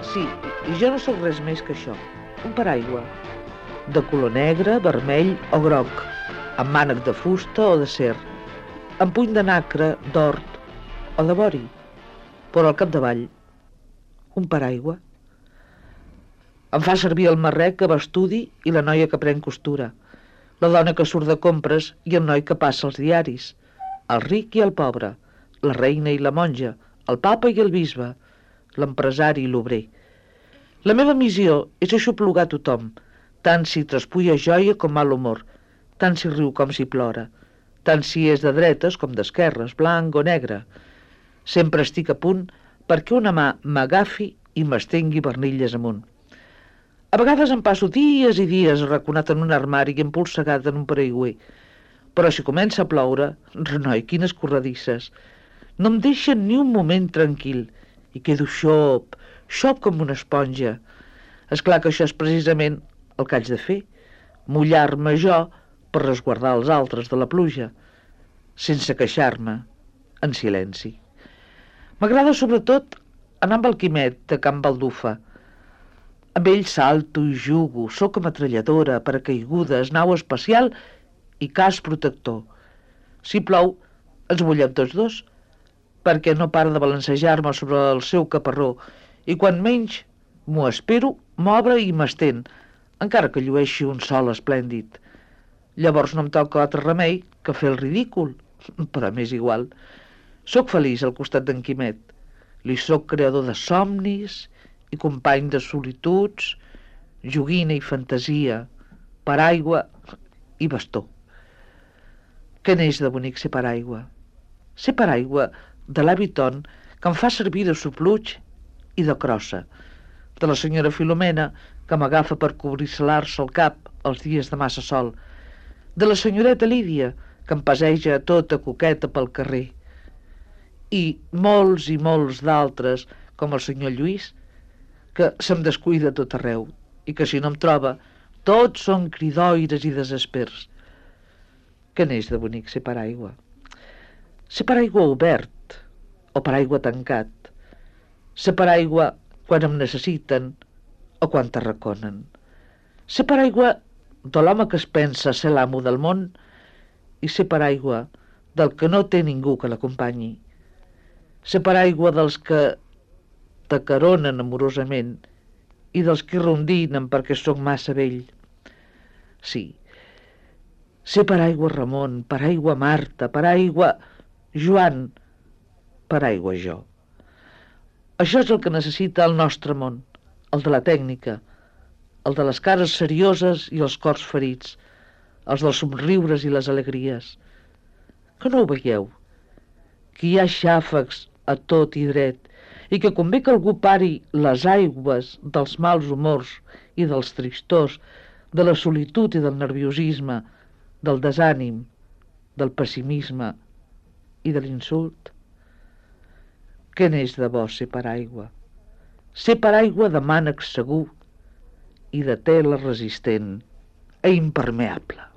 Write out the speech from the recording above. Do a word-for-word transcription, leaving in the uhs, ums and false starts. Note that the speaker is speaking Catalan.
Sí, i jo no sóc res més que això, un paraigua, de color negre, vermell o groc, amb mànec de fusta o de ser, amb puny de nacre, d'hort o de vori, però al capdavall, un paraigua. Em fa servir el marrec que va a estudi i la noia que pren costura, la dona que surt de compres i el noi que passa els diaris, el ric i el pobre, la reina i la monja, el papa i el bisbe, l'empresari i l'obrer. La meva missió és aixoplugar tothom, tant si traspulla joia com mal humor, tant si riu com si plora, tant si és de dretes com d'esquerres, blanc o negre. Sempre estic a punt perquè una mà m'agafi i m'estengui bernilles amunt. A vegades em passo dies i dies arraconat en un armari i empolsegat en un paraigüer, però si comença a ploure, renoi, quines corredisses, no em deixen ni un moment tranquil i quedo xop, xop com una esponja. És clar que això és precisament el que haig de fer, mullar-me jo per resguardar els altres de la pluja, sense queixar-me, en silenci. M'agrada sobretot anar amb el Quimet de Can Baldufa. Amb ell salto i jugo, soc ametralladora, paracaigudes, nau espacial i cas protector. Si plou, ens mullem tots dos, perquè no para de balancejar-me sobre el seu caparró i quan menys m'ho espero, m'obre i m'estén, encara que llueixi un sol esplèndid. Llavors no em toca altre remei que fer el ridícul, però m'és igual. Soc feliç al costat d'en Quimet. Li soc creador de somnis i company de solituds, joguina i fantasia, paraigua i bastó. Què neix de bonic ser paraigua? Ser paraigua de l'avi Ton, que em fa servir de sopluig i de crossa, de la senyora Filomena, que m'agafa per cobrir-se-l'arça al cap els dies de massa sol, de la senyoreta Lídia, que em passeja tota coqueta pel carrer, i molts i molts d'altres, com el senyor Lluís, que se'm descuida tot arreu, i que si no em troba, tots són cridoires i desespers. Què neix de bonic ser paraigua? Ser paraigua obert o paraigua tancat. Ser paraigua quan em necessiten o quan t'arraconen. Ser paraigua de l'home que es pensa ser l'amo del món i ser paraigua del que no té ningú que l'acompanyi. Ser paraigua dels que t'acaronen amorosament i dels que rondinen perquè sóc massa vell. Sí, ser paraigua Ramon, paraigua Marta, paraigua Joan, paraigua jo. Això és el que necessita el nostre món, el de la tècnica, el de les cares serioses i els cors ferits, els dels somriures i les alegries. Que no ho veieu? Que hi ha xàfecs a tot i dret i que convé que algú pari les aigües dels mals humors i dels tristors, de la solitud i del nerviosisme, del desànim, del pessimisme i de l'insult. Què n'és de bo ser paraigua? Ser paraigua de mànec segur i de tela resistent e impermeable.